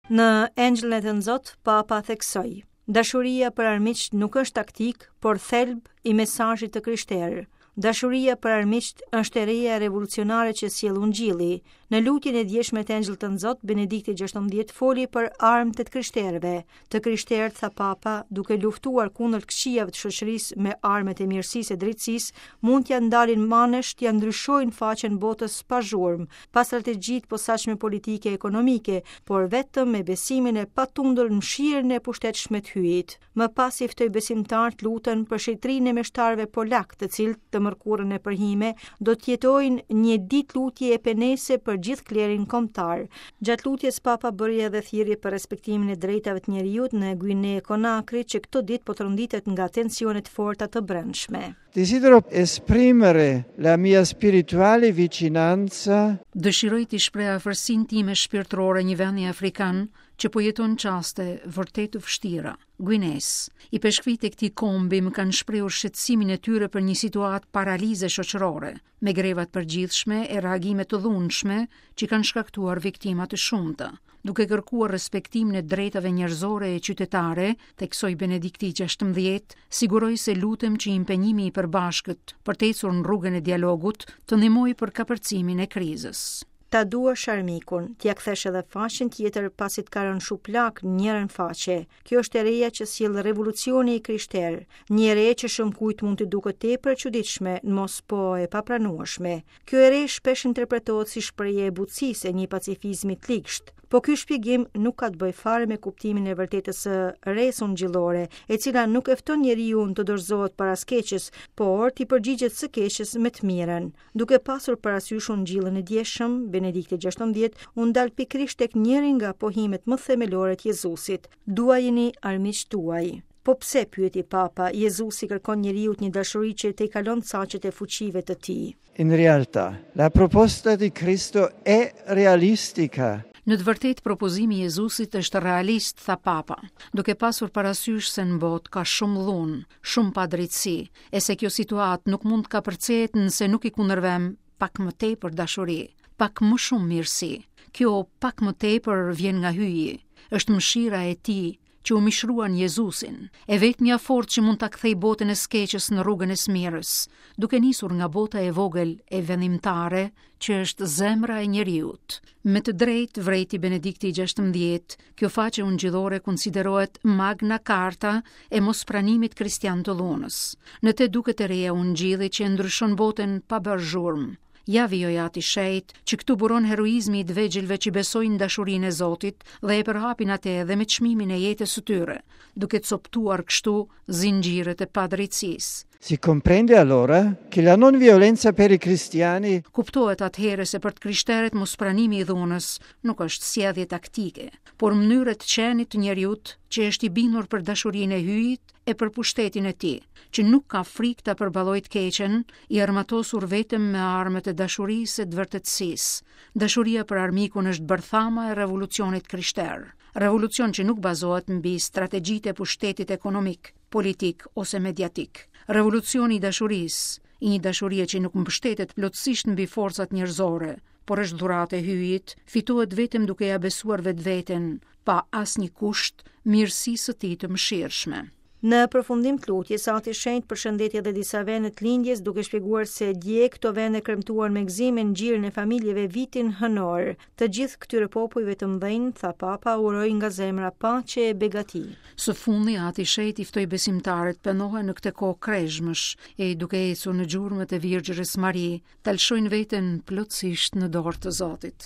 Në Engjëllin e Tënzot, Papa theksoi: Dashuria për armiqtë nuk është taktikë, por thelb i mesazhit të krishterë. Dashuria për armiqtë është e reja revolucionare që sjell Ungjilli. Në lutjen e djeshme të Engjëllit Tënzot, Benedikti XVI foli për armët e të krishterëve. Të krishterët, tha Papa, duke luftuar kundër të këqijave të shoqërisë me armët e mirësisë e drejtësisë, mund t'ia ndalin manesh, t'ia ndryshojnë faqen botës pa zhurmë, pa strategji të posaçme politike e ekonomike, por vetëm me besimin e patundur në mëshirën e pushtetshme të Hyjit. Më pas i ftoi besimtarët të luten për shenjtërinë e meshtarëve polakë, të cilët të mërkurën e përhime do të jetojnë një ditë lutje e penese për gjithë klerin kombëtar. Gjatë lutjes Papa bëri edhe thirrje për respektimin e drejtave të njeriut në Guine Konakri, që këto ditë po tronditet nga tensione të forta të brendshme. Desidero esprimere la mia spirituale vicinanza. Dëshiroj t'i shpreh afërsinë time shpirtërore një vendi afrikan që po jeton çaste vërtet të vështira. Guinesë. Ipeshkvijtë e këtij kombi më kanë shprehur shqetësimin e tyre për një situatë paralize shoqërore, me greva të përgjithshme e reagime të dhunshme që kanë shkaktuar viktima të shumta. Duke kërkuar respektimin e drejtave njerëzore e qytetare, theksoi Benedikti XVI, siguroj se lutem që impenjimi i përbashkët për të ecur në rrugën e dialogut të ndihmojë për kapërcimin e krizës. Ta duash armikun, t'ia kthesh edhe faqen tjetër pasi të ka rënë shuplakë në njërën faqe. Kjo është e reja që sjell revolucioni i krishterë, një e re që shumëkujt mund t'i duket tepër e çuditshme, në mos po e papranueshme. Kjo e re shpesh interpretohet si shprehje e butësisë e një pacifizmi të ligshtë. Po ky shpjegim nuk ka të bëjë fare me kuptimin e vërtetë të së resë ungjillore, e cila nuk e fton njeriun të dorëzohet para së keqes, por t'i përgjigjet së keqes me të mirën. Duke pasur parasysh ungjillin e djeshëm, Benedikti XVI u ndal pikërisht tek njëri nga pohimet më themelore të Jezusit: Duajini armiqtë tuaj. Po pse, pyeti Papa, Jezusi kërkon njeriut një dashuri që tejkalon caqet e fuqive të tij. In realtà, la proposta di Cristo è realistica. Në të vërtetë propozimi i Jezusit është realist, tha Papa, duke pasur parasysh se në botë ka shumë dhunë, shumë padrejtësi, e se kjo situatë nuk mund të kapërcehet nëse nuk i kundërvëmë pak më tepër dashuri, pak më shumë mirësi. Kjo pak më tepër vjen nga Hyji, është mëshira e tij që u mishrua në Jezusin, e vetmja forcë që mund ta kthejë botën e së keqes në rrugën e së mirës, duke nisur nga bota e vogël e vendimtare që është zemra e njeriut. Me të drejtë, vërejti Benedikti i XVI, kjo faqe ungjillore konsiderohet Magna Carta e mospranimit kristian të dhunës. Në te duket e reja e ungjillit që e ndryshon botën pa bërë zhurmë. Ja vijoi Ati i Shenjtë, që këtu buron heroizmi i të vegjëlve që besojnë dashurinë e Zotit dhe e përhapin atë edhe me çmimin e jetës së tyre, duke copëtuar kështu zinxhirët e padrejtësisë. Si comprende allora che la non violenza per i cristiani Kuptohet atëherë se për të krishterët mospranimi i dhunës nuk është sjellje taktike, por mënyrë e të qenit të njeriut që është i bindur për dashurinë e Hyjit e për pushtetin e tij, që nuk ka frikë ta përballojë të keqen, i armatosur vetëm me armët e dashurisë e të vërtetësisë. Dashuria për armikun është bërthama e revolucionit krishterë. Revolucion që nuk bazohet mbi strategjitë e pushtetit ekonomik, politik ose mediatik. Revolucioni i dashurisë, i një dashurie që nuk mbështetet plotësisht mbi forcat njerëzore, por është dhuratë e Hyjit, fitohet vetëm duke ia besuar vetveten, pa asnjë kusht, mirësisë së tij të mëshirshme. Në përfundim të lutjes, Ati i Shenjtë përshëndeti edhe disa vende të lindjes, duke shpjeguar se dje këto vende kremtuan me gëzim e në gjirin e familjeve vitin hënor. Të gjithë këtyre popujve të mëdhenj, tha Papa, uroj nga zemra paqe e begati. Së fundi, Ati i Shenjtë i ftoi besimtarët të pendohen në këtë kohë krezhmësh e duke ecur në gjurmët e Virgjërës Mari, ta lëshojnë veten plotësisht në dorë të Zotit.